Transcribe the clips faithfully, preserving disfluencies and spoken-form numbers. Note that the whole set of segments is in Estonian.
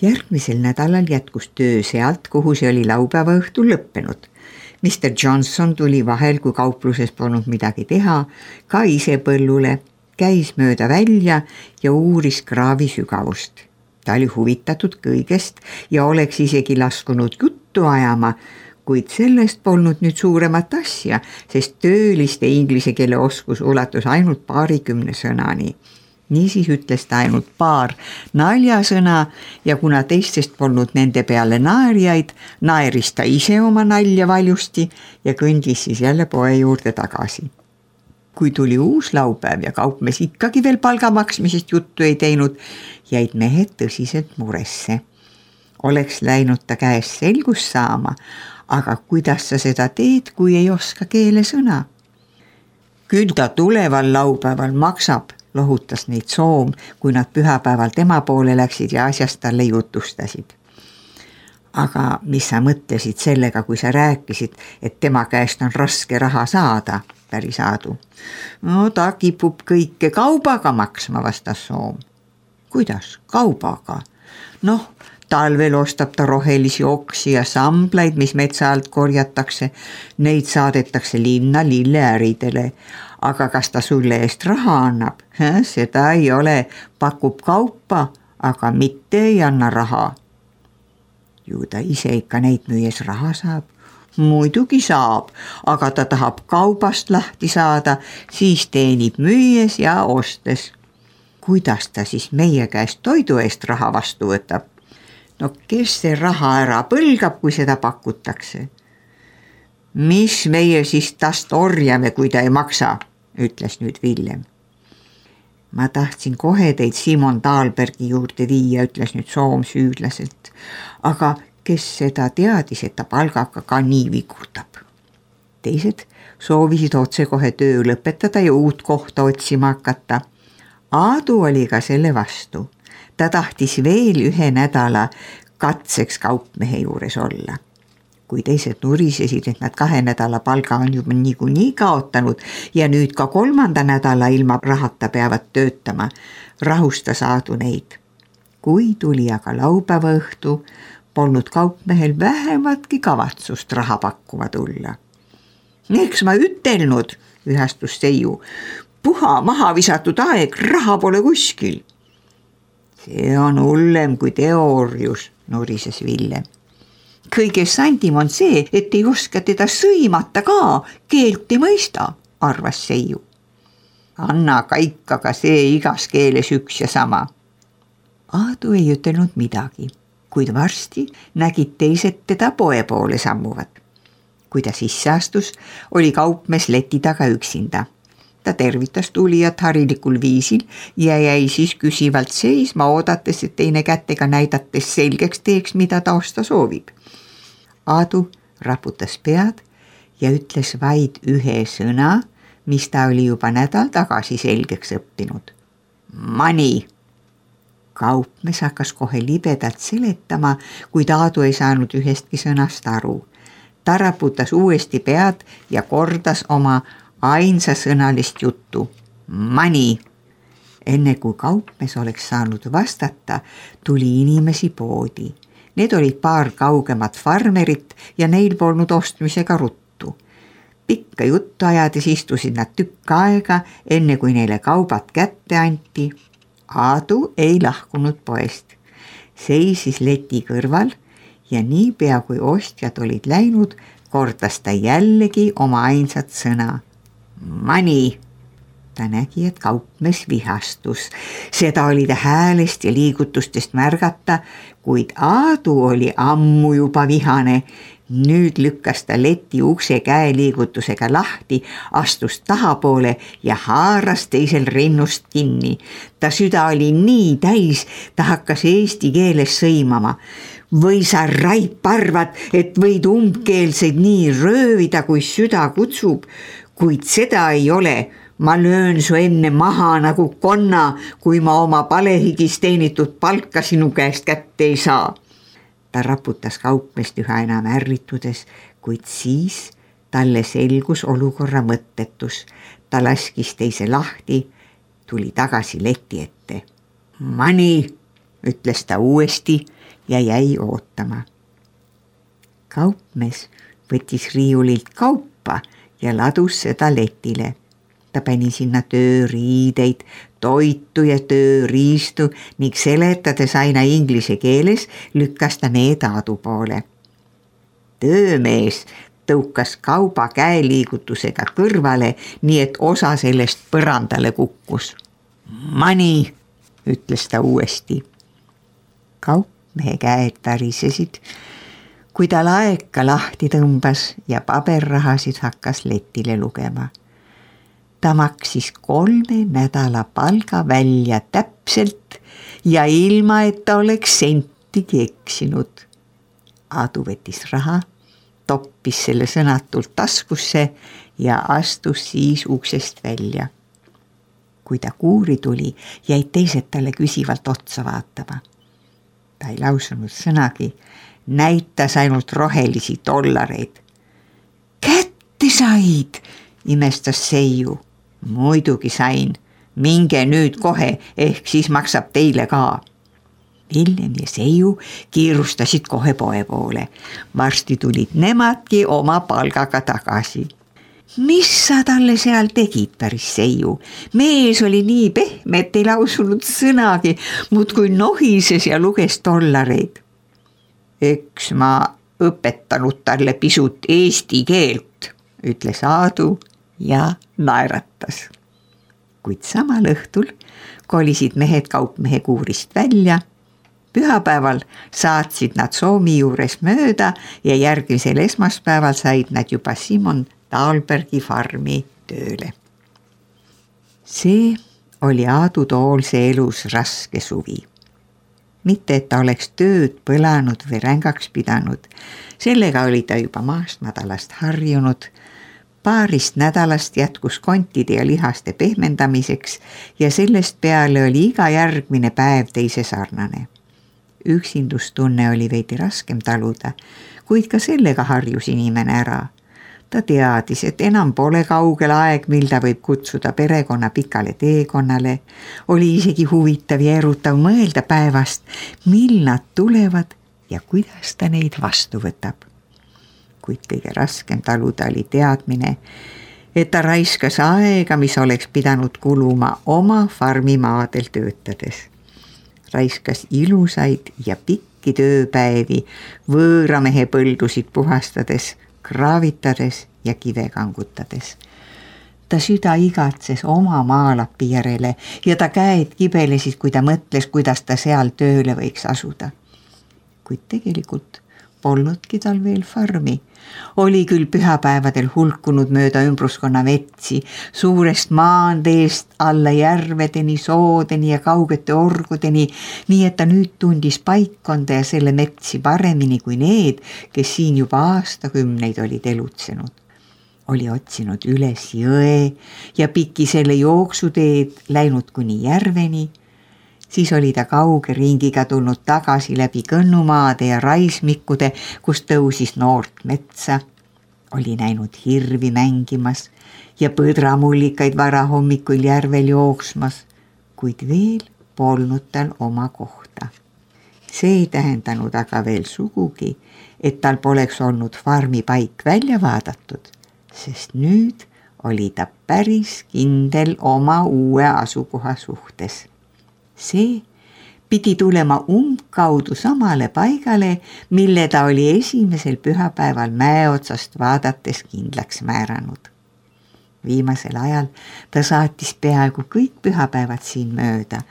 Järgmisel nädalal jätkus töö sealt, kuhu see oli laupäeva õhtul lõppenud. mister Johnson tuli vahel, kui kaupluses polnud midagi teha, ka ise põllule, käis mööda välja ja uuris kraavi sügavust. Ta oli huvitatud kõigest ja oleks isegi laskunud juttu ajama, kuid sellest polnud nüüd suuremat asja, sest tööliste inglise keele oskus ulatus ainult paarikümne sõnani. Niisiis ütles ta ainult paar naljasõna ja kuna teistest polnud nende peale naerjaid, naeris ta ise oma nalja valjusti ja kõndis siis jälle poe juurde tagasi. Kui tuli uus laupäev ja kaupmees ikkagi veel palga maksmisest juttu ei teinud, jäid mehed tõsiselt muresse. Oleks läinud ta käest selgust saama, aga kuidas sa seda teed, kui ei oska keelesõna? Küll ta tuleval laupäeval maksab, lohutas neid Soom, kui nad pühapäeval tema poole läksid ja asjast talle jutustasid. Aga mis sa mõtlesid sellega, kui sa rääkisid, et tema käest on raske raha saada, päris Aadu? No ta kipub kõike kaubaga maksma, vastas Soom. Kuidas kaubaga? Noh, talvel ostab ta rohelisi oksi ja samblaid, mis metsa alt korjatakse. Neid saadetakse linna lilleäridele. Aga kas ta sulle eest raha annab? Seda ei ole, pakub kaupa, aga mitte ei anna raha. Ju ta ise ikka neid müües raha saab. Muidugi saab, aga ta tahab kaubast lahti saada, siis teenib müües ja ostes. Kuidas ta siis meie käest toidu eest raha vastu võtab? No kes see raha ära põlgab, kui seda pakutakse? Mis meie siis tast orjame, kui ta ei maksa, ütles nüüd Villem. Ma tahtsin kohe teid Simon Dahlbergi juurde viia, ütles nüüd Soom süüdlaselt. Aga kes seda teadis, et ta palgaga ka nii vigurdab? Teised soovisid otse kohe töö lõpetada ja uut kohta otsima hakata. Aadu oli ka selle vastu. Ta tahtis veel ühe nädala katseks kaupmehe juures olla. Kui teised nurisesid, et nad kahe nädala palga on juba niikuinii kaotanud ja nüüd ka kolmanda nädala ilma rahata peavad töötama, rahustas Aadu neid. Kui tuli aga laupäeva õhtu, polnud kaupmehel vähematki kavatsust raha pakkuma tulla. Eks ma ütelnud, ühastus Seiu, puha maha visatud aeg, raha pole kuskil. See on hullem kui teoorius, nurises Villem. Kõige sandim on see, et ei oska teda sõimata ka, keelt ei mõista, arvas Seiu. Anna ka ikka ka see igas keeles üks ja sama. Aadu ei ütelnud midagi, kuid varsti nägid teised teda poe poole sammuvad. Kui ta sisse astus, oli kaupmees leti taga üksinda. Ta tervitas tulijat harilikul viisil ja jäi siis küsivalt seisma, oodates, et teine kätega näidates selgeks teeks, mida ta osta soovib. Aadu raputas pead ja ütles vaid ühe sõna, mis ta oli juba nädal tagasi selgeks õppinud. Money! Kaupmees hakkas kohe libedalt seletama, kuid Aadu ei saanud ühestki sõnast aru. Ta raputas uuesti pead ja kordas oma ainsasõnalist juttu. Money! Enne kui kaupmees oleks saanud vastata, tuli inimesi poodi. Need olid paar kaugemat farmerit ja neil polnud ostmisega ruttu. Pikka juttu ajades istusid nad tükk aega, enne kui neile kaubad kätte anti. Aadu ei lahkunud poest. Seisis leti kõrval ja niipea kui ostjad olid läinud, kordas ta jällegi oma ainsat sõna. Money! Ta nägi, et kaupmees vihastus. Seda oli ta häälest ja liigutustest märgata, kuid Aadu oli ammu juba vihane. Nüüd lükkas ta leti ukse käeliigutusega lahti, astus tahapoole ja haaras teisel rinnust kinni. Ta süda oli nii täis, ta hakkas eesti keeles sõimama. Või sa raip arvad, et võid umbkeelseid nii röövida, kui süda kutsub, kuid seda ei ole. Ma löön su enne maha nagu konna, kui ma oma palehigis teenitud palka sinu käest kätte ei saa. Ta raputas kaupmeest üha enam ärritudes, kuid siis talle selgus olukorra mõttetus. Ta laskis teise lahti, tuli tagasi leti ette. Money! ütles ta uuesti ja jäi ootama. Kaupmees võttis riiulilt kaupa ja ladus seda letile. Ta pani sinna tööriideid, toitu ja tööriistu ning seletades aina inglise keeles lükkas ta need Aadu poole. Töömees tõukas kauba käeliigutusega kõrvale, nii et osa sellest põrandale kukkus. Money, ütles ta uuesti. Kaupmehe käed värisesid, kui ta laeka lahti tõmbas ja paberrahasid hakkas letile lugema. Ta maksis kolme nädala palga välja täpselt ja ilma, et ta oleks sentigi eksinud. Aadu võttis raha, toppis selle sõnatult taskusse ja astus siis uksest välja. Kui ta kuuri tuli, jäid teised talle küsivalt otsa vaatama. Ta ei lausunud sõnagi, näitas ainult rohelisi dollareid. Kätte said, imestas Seiu. Muidugi sain, minge nüüd kohe, ehk siis maksab teile ka. Villem ja Seiu kiirustasid kohe poe poole. Varsti tulid nemadki oma palgaga tagasi. Mis sa talle seal tegid, päris Seiu? Mees oli nii pehme, et ei lausunud sõnagi, muudkui nohises ja luges dollareid. Eks ma õpetanud talle pisut eesti keelt, ütles Aadu ja naeratas. Kuid samal õhtul kolisid mehed kaupmehe kuurist välja. Pühapäeval saatsid nad Soomi juures mööda ja järgmisel esmaspäeval said nad juba Simon Dahlbergi farmi tööle. See oli Aadu Toolse elus raske suvi. Mitte, et ta oleks tööd põlanud või rängaks pidanud. Sellega oli ta juba maast madalast harjunud. Paarist nädalast jätkus kontide ja lihaste pehmendamiseks ja sellest peale oli iga järgmine päev teise sarnane. Üksindustunne oli veidi raskem taluda, kuid ka sellega harjus inimene ära. Ta teadis, et enam pole kaugel aeg, mil ta võib kutsuda perekonna pikale teekonnale. Oli isegi huvitav ja erutav mõelda päevast, mil nad tulevad ja kuidas ta neid vastu võtab. Kuid kõige raskem taluda oli teadmine, et ta raiskas aega, mis oleks pidanud kuluma oma farmimaadel töötades. Raiskas ilusaid ja pikki tööpäevi, võõramehe põldusid puhastades, kraavitades ja kive kangutades. Ta süda igatses oma maalapi järele ja ta käed kibelesid, kui ta mõtles, kuidas ta seal tööle võiks asuda. Kuid tegelikult polnudki tal veel farmi. Oli küll pühapäevadel hulkunud mööda ümbruskonna metsi, suurest maanteest alla järvedeni, soodeni ja kaugete orgudeni, nii et ta nüüd tundis paikkonda ja selle metsi paremini kui need, kes siin juba aastakümneid olid elutsenud. Oli otsinud üles jõe ja piki selle jooksuteed läinud kuni järveni. Siis oli ta kauge ringiga tulnud tagasi läbi kõnnumaade ja raismikude, kus tõusis noort metsa. Oli näinud hirvi mängimas ja põdramullikaid varahommikul järvel jooksmas, kuid veel polnud tal oma kohta. See ei tähendanud aga veel sugugi, et tal poleks olnud farmi paik välja vaadatud, sest nüüd oli ta päris kindel oma uue asukoha suhtes. See pidi tulema umbkaudu samale paigale, mille ta oli esimesel pühapäeval mäe otsast vaadates kindlaks määranud. Viimasel ajal ta saatis peaaegu kõik pühapäevad siin mööda.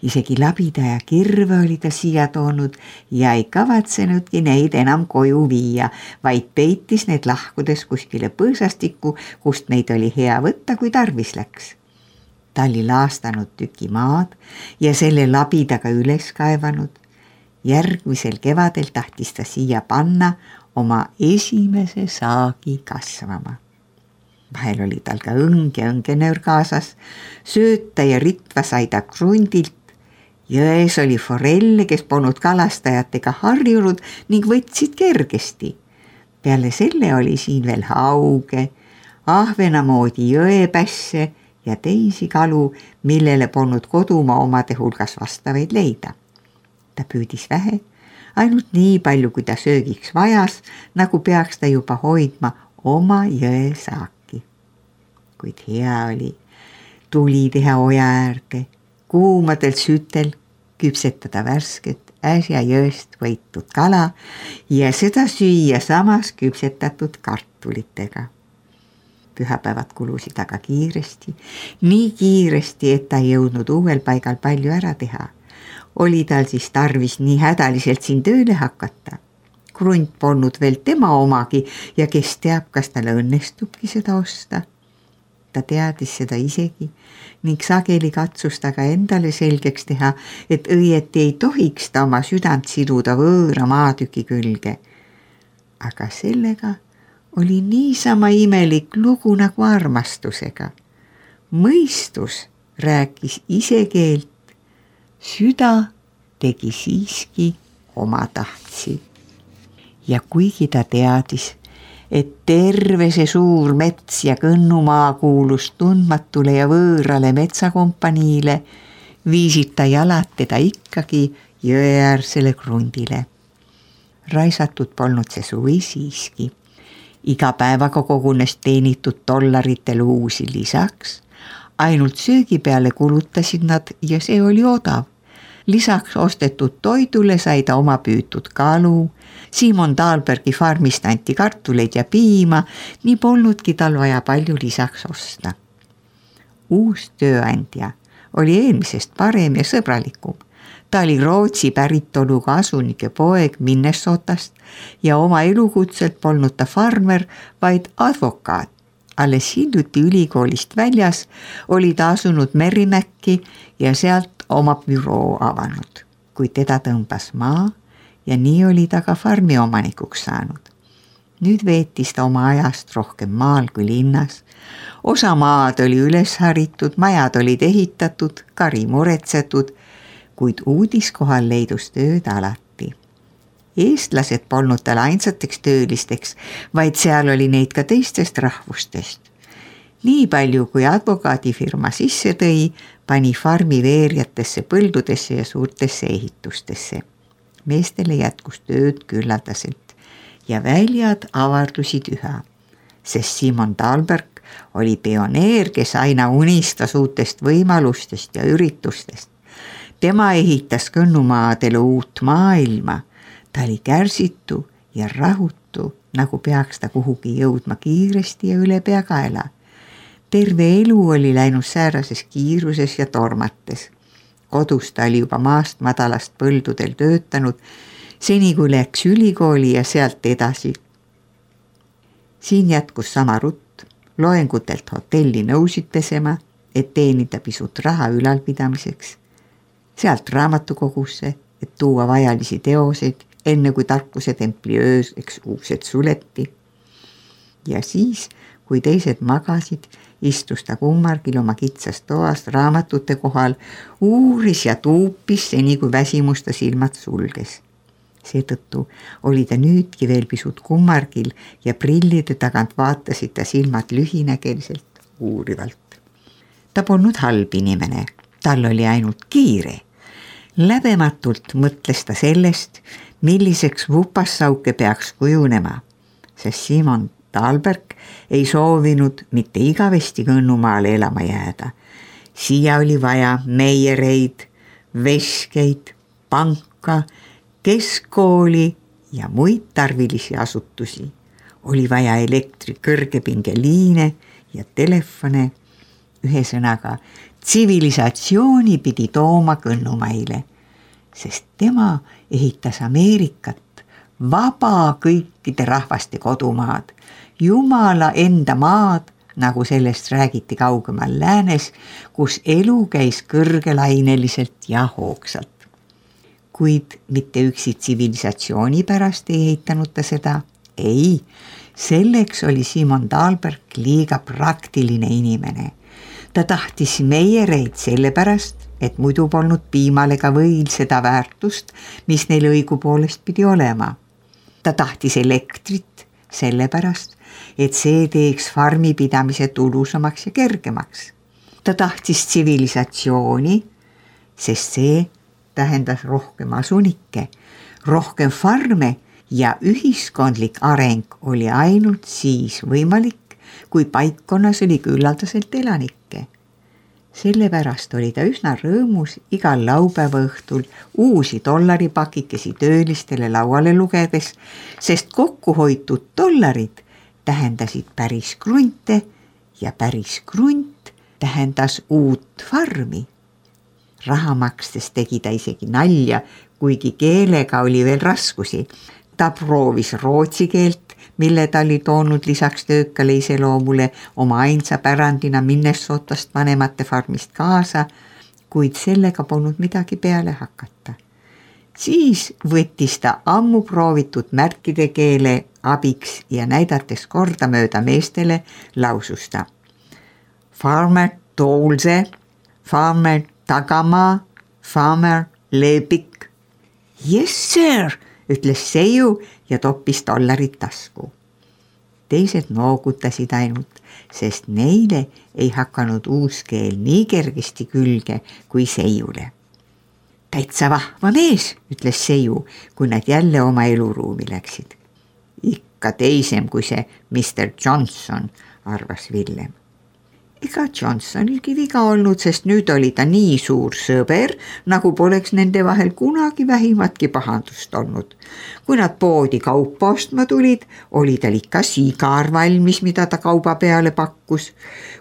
Isegi labida ja kirve oli ta siia toonud ja ei kavatsenudki neid enam koju viia, vaid peitis need lahkudes kuskile põõsastikku, kust neid oli hea võtta, kui tarvis läks. Ta oli laastanud tüki maad ja selle labidaga üles kaevanud. Järgmisel kevadel tahtis ta siia panna oma esimese saagi kasvama. Vahel oli tal ka õng ja õngenöör kaasas, sööta ja ritva sai ta krundilt. Jões oli forelle, kes polnud kalastajatega harjunud ning võtsid kergesti. Peale selle oli siin veel hauge, ahvena moodi jõepässe ja teisi kalu, millele polnud kodumaa omade hulgas vastavaid leida. Ta püüdis vähe, ainult nii palju, kui ta söögiks vajas, nagu peaks ta juba hoidma oma jõe saaki. Kuid hea oli tuli teha oja äärde, kuumadel sütel küpsetada värsket äsja jõest võitud kala ja seda süüa samas küpsetatud kartulitega. Pühapäevad kulusid aga kiiresti, nii kiiresti, et ta ei jõudnud uuel paigal palju ära teha. Oli tal siis tarvis nii hädaliselt siin tööle hakata. Krunt polnud veel tema omagi ja kes teab, kas talle õnnestubki seda osta. Ta teadis seda isegi ning sageli katsus ta ka endale selgeks teha, et õieti ei tohiks ta oma südant siduda võõra maatüki külge. Aga sellega oli niisama imelik lugu nagu armastusega. Mõistus rääkis ise keelt, süda tegi siiski oma tahtsi. Ja kuigi ta teadis, et terve see suur mets ja kõnnumaa kuulus tundmatule ja võõrale metsakompaniile, viisid ta jalad teda ikkagi jõeäärsele krundile. Raisatud polnud see suvi siiski. Iga päevaga kogunes teenitud dollaritel uusi lisaks. Ainult söögi peale kulutasid nad ja see oli odav. Lisaks ostetud toidule sai ta oma püütud kalu. Simon Dahlbergi farmist anti kartuleid ja piima, nii polnudki tal vaja palju lisaks osta. Uus tööandja oli eelmisest parem ja sõbralikum. Ta oli Rootsi päritoluga asunike poeg Minnesotast ja oma elukutselt polnud ta farmer, vaid advokaat. Alles hiljuti ülikoolist väljas oli ta asunud Merrimäkki ja sealt oma büroo avanud, kui teda tõmbas maa ja nii oli ta ka farmi omanikuks saanud. Nüüd veetis ta oma ajast rohkem maal kui linnas. Osa maad oli üles haritud, majad olid ehitatud, kari muretsetud, kuid uudiskohal leidus tööd alati. Eestlased polnud tal ainsateks töölisteks, vaid seal oli neid ka teistest rahvustest. Nii palju, kui advokaadifirma sisse tõi, pani farmi veerjatesse, põldudesse ja suurtesse ehitustesse. Meestele jätkus tööd küllaldaselt ja väljad avardusid üha, sest Simon Dahlberg oli pioneer, kes aina unistas uutest võimalustest ja üritustest. Tema ehitas kõnnumaadele uut maailma. Ta oli kärsitu ja rahutu, nagu peaks ta kuhugi jõudma kiiresti ja üle peakaela. Terve elu oli läinud säärases kiiruses ja tormates. Kodus ta oli juba maast madalast põldudel töötanud, seni kui läks ülikooli ja sealt edasi. Siin jätkus sama rutt, loengutelt hotelli nõusid pesema, et teenida pisut raha ülalpidamiseks. Sealt raamatukogusse, et tuua vajalisi teoseid, enne kui tarkuse templi ööseks uksed suleti. Ja siis, kui teised magasid, istus ta kummargil oma kitsast toast raamatute kohal, uuris ja tuupis seni, kui väsimus ta silmad sulges. Seetõttu oli ta nüüdki veel pisut kummargil ja prillide tagant vaatasid ta silmad lühinägeliselt uurivalt. Ta polnud halb inimene, tal oli ainult kiire. Läbematult mõtles ta sellest, milliseks vupassauke peaks kujunema, sest Simon Dahlberg ei soovinud mitte igavesti kõnnumaale elama jääda. Siia oli vaja meiereid, veskeid, panka, keskkooli ja muid tarvilisi asutusi. Oli vaja elektri kõrgepingeliine ja telefone. Ühesõnaga, tsivilisatsiooni pidi tooma kõnnumaile, sest tema ehitas Ameerikat, vaba kõikide rahvaste kodumaad, Jumala enda maad, nagu sellest räägiti kaugemal läänes, kus elu käis kõrgelaineliselt ja hoogsalt. Kuid mitte üksi tsivilisatsiooni pärast ei ehitanud ta seda. Ei, selleks oli Simon Dahlberg liiga praktiline inimene. Ta tahtis meiereid sellepärast, et muidu polnud piimale ka võil seda väärtust, mis neil õigupoolest pidi olema. Ta tahtis elektrit sellepärast, et see teeks farmi pidamise tulusamaks ja kergemaks. Ta tahtis tsivilisatsiooni, sest see tähendas rohkem asunikke, rohkem farme ja ühiskondlik areng oli ainult siis võimalik, kui paikkonnas oli küllaldaselt elanikke. Sellepärast oli ta üsna rõõmus igal laupäeva õhtul uusi dollaripakikesi töölistele lauale lugedes, sest kokkuhoitud dollarid tähendasid päris krunte ja päris krunt tähendas uut farmi. Raha makstes tegi ta isegi nalja, kuigi keelega oli veel raskusi. Ta proovis rootsi keelt, mille ta oli toonud lisaks töökale iseloomule oma ainsa pärandina Minnesotast vanemate farmist kaasa, kuid sellega polnud midagi peale hakata. Siis võttis ta ammu proovitud märkide keele abiks ja näidates kordamööda meestele laususta. Farmer Toolse, farmer Tagamaa, farmer Leepik. Yes, sir, ütles Seiu ja toppis dollarit tasku. Teised noogutasid ainult, sest neile ei hakanud uus keel nii kergesti külge kui Seiule. Täitsa vahva mees, ütles Seiu, kui nad jälle oma eluruumi läksid. Ikka teisem kui see mister Johnson, arvas Villem. Ega Johnsonilgi viga olnud, sest nüüd oli ta nii suur sõber, nagu poleks nende vahel kunagi vähimatki pahandust olnud. Kui nad poodi kaupa ostma tulid, oli tal ikka sigar valmis, mida ta kauba peale pakkus.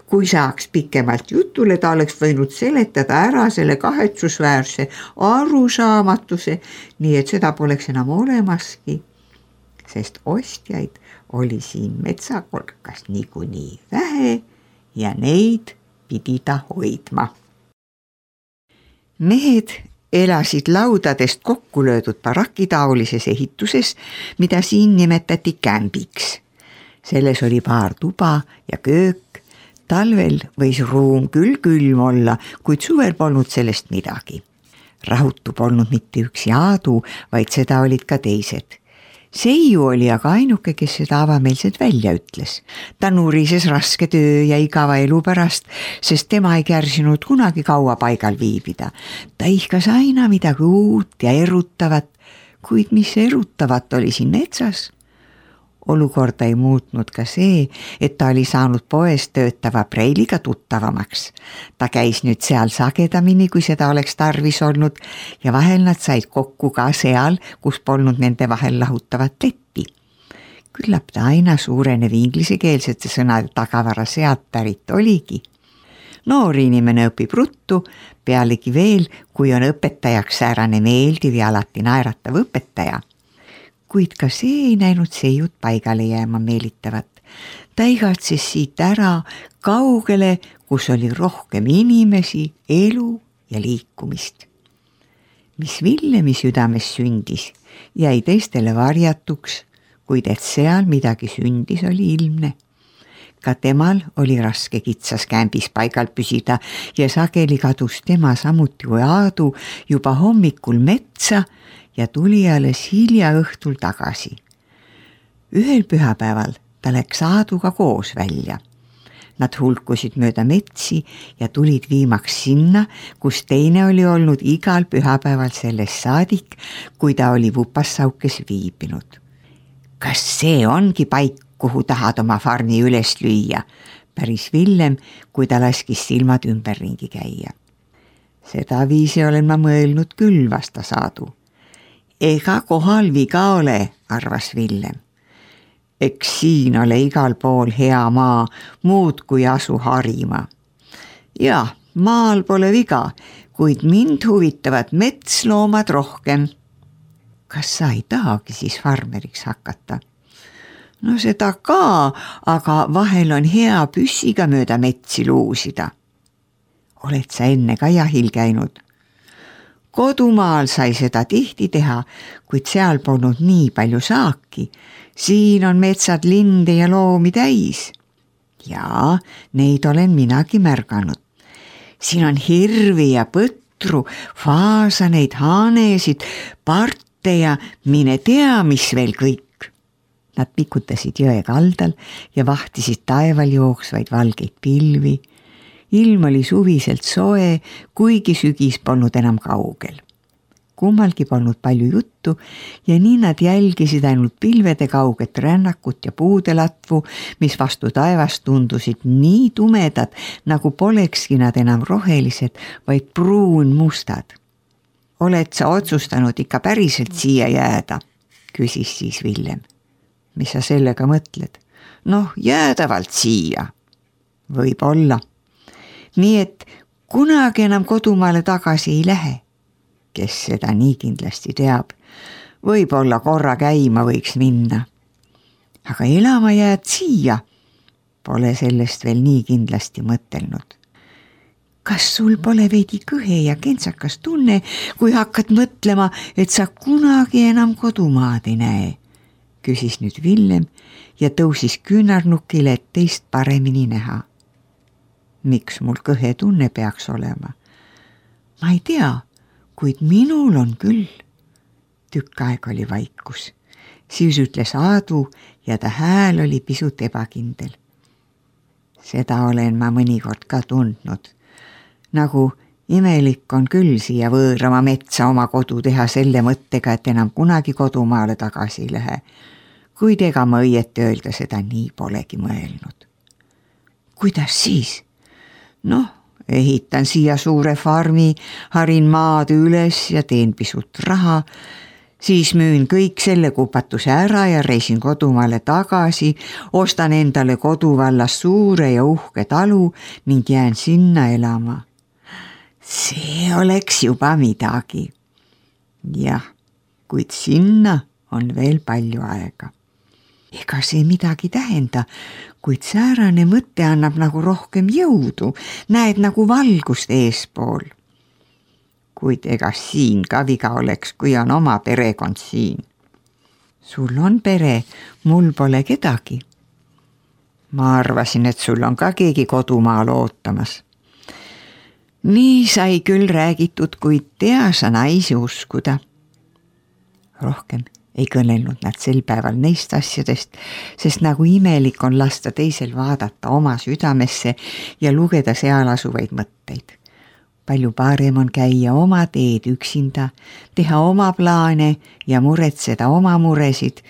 Kui saaks pikemalt jutule, ta oleks võinud seletada ära selle kahetsusväärse arusaamatuse, nii et seda poleks enam olemaski, sest ostjaid oli siin metsakolkas niikuinii vähe, ja neid pidi ta hoidma. Mehed elasid laudadest kokku löödud barakitaolises ehituses, mida siin nimetati kämbiks. Selles oli paar tuba ja köök. Talvel võis ruum küll külm olla, kuid suvel polnud sellest midagi. Rahutu polnud mitte üksi Aadu, vaid seda olid ka teised. Seiu oli aga ainuke, kes seda avameelselt välja ütles. Ta nurises raske töö ja igava elu pärast, sest tema ei kärsinud kunagi kaua paigal viibida. Ta ihkas aina midagi uut ja erutavat, kuid mis erutavat oli siin metsas? Olukorda ei muutnud ka see, et ta oli saanud poes töötava Preiliga tuttavamaks. Ta käis nüüd seal sagedamini, kui seda oleks tarvis olnud ja vahel nad said kokku ka seal, kus polnud nende vahel lahutavat leppi. Küllap ta aina suurenev inglisekeelsete sõnade tagavara sealt pärit oligi. Noor inimene õpib ruttu, pealegi veel, kui on õpetajaks säärane meeldiv ja alati naeratav õpetaja. Kuid ka see ei näinud Seiut paigale jääma meelitavat. Ta igatses siit ära kaugele, kus oli rohkem inimesi, elu ja liikumist. Mis Villemi südames sündis, jäi teistele varjatuks, kuid et seal midagi sündis, oli ilmne. Ka temal oli raske kitsas kämbis paigal püsida ja sageli kadus tema samuti kui Aadu juba hommikul metsa ja tuli alles hilja õhtul tagasi. Ühel pühapäeval ta läks Aaduga koos välja. Nad hulkusid mööda metsi ja tulid viimaks sinna, kus teine oli olnud igal pühapäeval sellest saadik, kui ta oli Vupassaukes viibinud. Kas see ongi paik, kuhu tahad oma farmi üles lüüa, päris Villem, kui ta laskis silmad ümberringi käia. Seda viisi olen ma mõelnud küll, vastas Aadu. Ega kohal viga ole, arvas Villem. Eks siin ole igal pool hea maa, muud kui asu harima. Ja, maal pole viga, kuid mind huvitavad metsloomad rohkem. Kas sa ei tahagi siis farmeriks hakata? No seda ka, aga vahel on hea püssiga mööda metsi luusida. Oled sa enne ka jahil käinud? Kodumaal sai seda tihti teha, kuid seal polnud nii palju saaki. Siin on metsad linde ja loomi täis. Ja, neid olen minagi märganud. Siin on hirvi ja põtru, faasaneid, haanesid, parte ja mine tea, mis veel kõik. Nad pikutasid jõe kaldal ja vahtisid taeval jooksvaid valgeid pilvi. Ilm oli suviselt soe, kuigi sügis polnud enam kaugel. kummalgi polnud palju juttu ja nii nad jälgisid ainult pilvede kauget rännakut ja puudelatvu, mis vastu taevast tundusid nii tumedad, nagu polekski nad enam rohelised, vaid pruunmustad. Oled sa otsustanud ikka päriselt siia jääda? Küsis siis Villem. Mis sa sellega mõtled? Noh, jäädavalt siia. Võib olla. Nii et kunagi enam kodumaale tagasi ei lähe. Kes seda nii kindlasti teab. Võib-olla korra käima võiks minna. Aga elama jääd siia. Pole sellest veel nii kindlasti mõtelnud. Kas sul pole veidi kõhe ja kentsakas tunne, kui hakkad mõtlema, et sa kunagi enam kodumaad ei näe? Küsis nüüd Villem ja tõusis küünarnukile, et teist paremini näha. Miks mul kõhe tunne peaks olema? Ma ei tea, kuid minul on küll. Tükk aeg oli vaikus. Siis ütles Aadu ja ta hääl oli pisut ebakindel. Seda olen ma mõnikord ka tundnud. Nagu imelik on küll siia võõrama metsa oma kodu teha selle mõttega, et enam kunagi kodumaale tagasi ei lähe. Kuid ega ma õieti öelda seda nii polegi mõelnud. Kuidas siis? Noh, ehitan siia suure farmi, harin maad üles ja teen pisut raha, siis müün kõik selle kupatuse ära ja reisin kodumaale tagasi, ostan endale koduvallas suure ja uhke talu ning jään sinna elama. See oleks juba midagi. Jah, kuid sinna on veel palju aega. Ega see midagi tähenda, kuid säärane mõte annab nagu rohkem jõudu, näed nagu valgust eespool. Kuid ega siin ka viga oleks, kui on oma perekond siin. Sul on pere, mul pole kedagi. Ma arvasin, et sul on ka keegi kodumaal ootamas. Nii sai küll räägitud, kuid tea sa naisi uskuda. Rohkem ei kõnelnud nad sel päeval neist asjadest, sest nagu imelik on lasta teisel vaadata oma südamesse ja lugeda seal asuvaid mõtteid. Palju parem on käia oma teed üksinda, teha oma plaane ja muretseda oma muresid,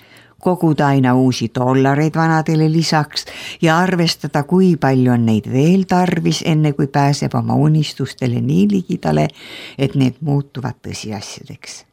koguda aina uusi dollareid vanadele lisaks ja arvestada, kui palju on neid veel tarvis, enne kui pääseb oma unistustele nii ligidale, et need muutuvad tõsiasjadeks.